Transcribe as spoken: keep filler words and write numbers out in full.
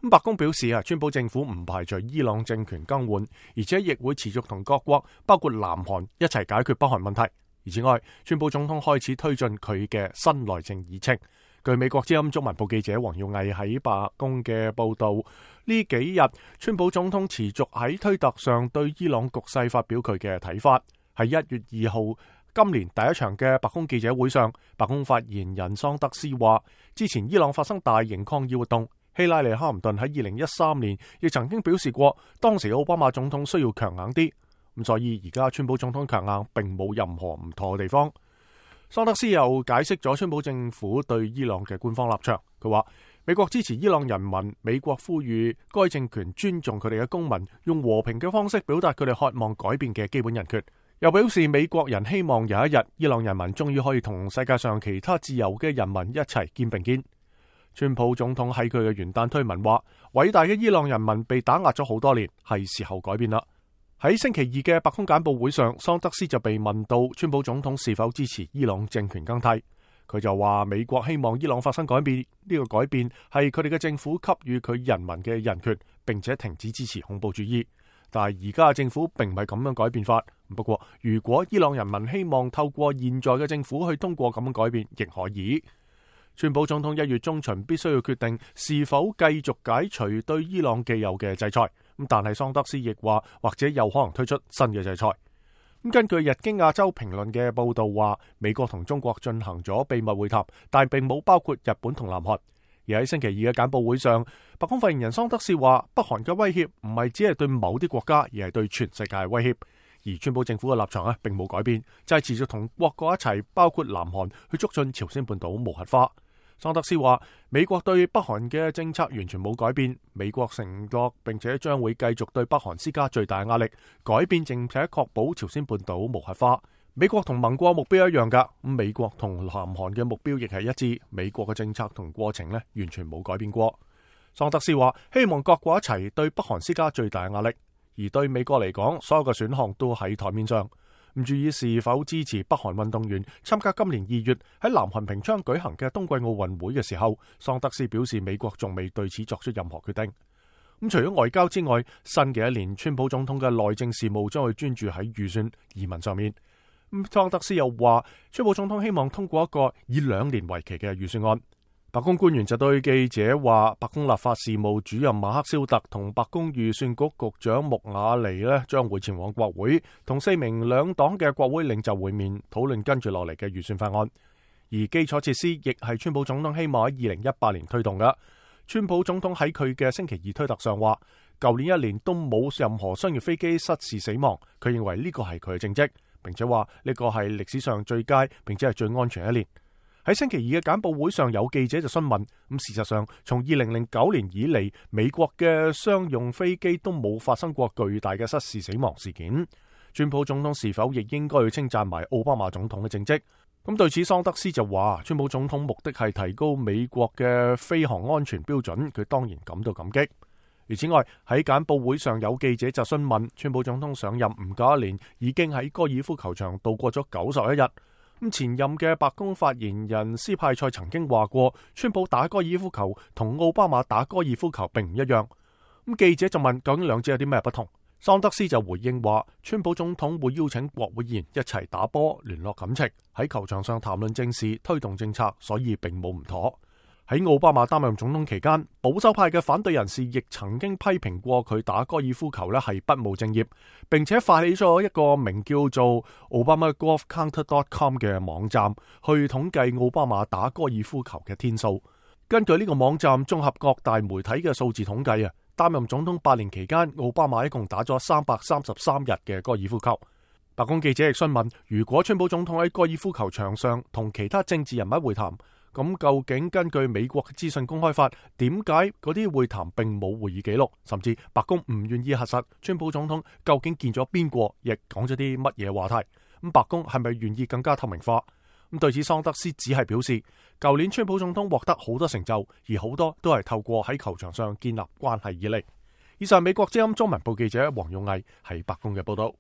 咁白宮表示啊，川普政府唔排除伊朗政權更換，而且亦會持續同各國，包括南韓一齊解決北韓問題。而此外，川普總統開始推進佢嘅新內政議程。據美國之音中文部記者黃耀毅喺白宮嘅報道，呢幾日川普總統持續喺推特上對伊朗局勢發表佢嘅睇法。喺一月二號今年第一場嘅白宮記者會上，白宮發言人桑德斯話，之前伊朗發生大型抗議活動，希拉里哈林頓喺二零一三年亦曾經表示過，當時奧巴馬總統需要強硬啲，咁所以而家川普總統強硬並冇任何唔妥嘅地方。桑德斯又解釋咗川普政府對伊朗嘅官方立場，佢話美國支持伊朗人民，美國呼籲該政權尊重佢哋嘅公民，用和平嘅方式表達佢哋渴望改變嘅基本人權。又表示美國人希望有一日伊朗人民終於可以同世界上其他自由嘅人民一齊肩並肩。川普總統喺佢嘅元旦推文話，偉大嘅伊朗人民被打壓咗好多年，係時候改變啦。喺星期二嘅白宮簡報會上，桑德斯就被問到川普總統是否支持伊朗政權更替，佢就話美國希望伊朗發生改變，呢個改變係佢哋嘅政府給予佢人民嘅人權，並且停止支持恐怖主義。但係而家嘅政府並唔係咁樣改變法。不過如果伊朗人民希望透過現在嘅政府去通過咁樣改變，亦可以。川普總統一月中旬必須要決定是否繼續解除對伊朗既有嘅制裁。咁但係桑德斯亦話，或者有可能推出新嘅制裁。咁根據日經亞洲評論嘅報道話，美國同中國進行咗秘密會談，但並冇包括日本同南韓。而喺星期二嘅簡報會上，白宮發言人桑德斯話，北韓嘅威脅唔係只係對某啲國家，而係對全世界嘅威脅。而川普政府嘅立場咧，並冇改變，就係持續同各國一齊，包括南韓，去促進朝鮮半島無核化。桑德斯話，美國對北韓嘅政策完全冇改變，美國承諾並且將會繼續對北韓施加最大壓力，改變並且確保朝鮮半島無核化。美國同盟國目標一樣噶，咁美國同南韓嘅目標亦係一致，美國嘅政策同過程呢，完全冇改變過。桑德斯話，希望各國一齊對北韓施加最大壓力，而對美國嚟講，所有嘅選項都喺台面上。唔注意是否支持北韓運動員參加今年二月喺南韓平昌舉行嘅冬季奧運會嘅時候，桑德斯表示美國仲未對此作出任何決定。咁除咗外交之外，新嘅一年川普總統嘅內政事務將會專注喺預算移民上面。咁桑德斯又話，川普總統希望通過一個以兩年為期嘅預算案。白宮官員就對記者話，白宮立法事務主任馬克肖特同白宮預算局局長穆瓦尼呢將會前往國會，同四名兩黨嘅國會領袖會面，討論跟住落嚟嘅預算法案。而基礎設施亦係川普總統希望喺二零一八年推動嘅。川普總統喺佢嘅星期二推特上話，舊年一年都冇任何商業飛機失事死亡，佢認為呢個係佢嘅政績，並且話呢個係歷史上最佳並且係最安全一年。喺星期二嘅簡報會上，有記者就詢問，咁事實上從二零零九年以嚟，美國嘅商用飛機都冇發生過巨大嘅失事死亡事件。川普總統是否亦應該要稱讚埋奧巴馬總統嘅政績？咁對此桑德斯就話，川普總統目的係提高美國嘅飛航安全標準，佢當然感到感激。而此外，喺簡報會上有記者就詢問，川普總統上任唔夠一年，已經喺高爾夫球場度過咗九十一日。咁前任嘅白宮發言人斯派塞曾經話過，川普打高爾夫球同奧巴馬打高爾夫球並唔一樣。咁記者就問，究竟兩者有啲咩不同？桑德斯就回應話，川普總統會邀請國會議員一齊打波，聯絡感情，喺球場上談論政事，推動政策，所以並冇唔妥。喺奧巴馬擔任總統期間，保守派嘅反對人士亦曾經批評過佢打高爾夫球咧係不務正業，並且發起咗一個名叫做 Obama Golf Counter dot com 嘅網站，去統計奧巴馬打高爾夫球嘅天數。根據呢個網站綜合各大媒體嘅數字統計啊，擔任總統八年期間，奧巴馬一共打咗三百三十三日嘅高爾夫球。白宮記者亦詢問，如果川普總統喺高爾夫球場上同其他政治人物會談，咁究竟根據美國嘅資訊公開法，點解嗰啲會談並冇會議記錄，甚至白宮唔願意核實川普總統究竟見咗邊個，亦講咗啲乜嘢話題？咁白宮係咪願意更加透明化？咁對此桑德斯只係表示，舊年川普總統獲得好多成就，而好多都係透過喺球場上建立關係以嚟。以上美國之音中文部記者黃勇毅喺白宮嘅報道。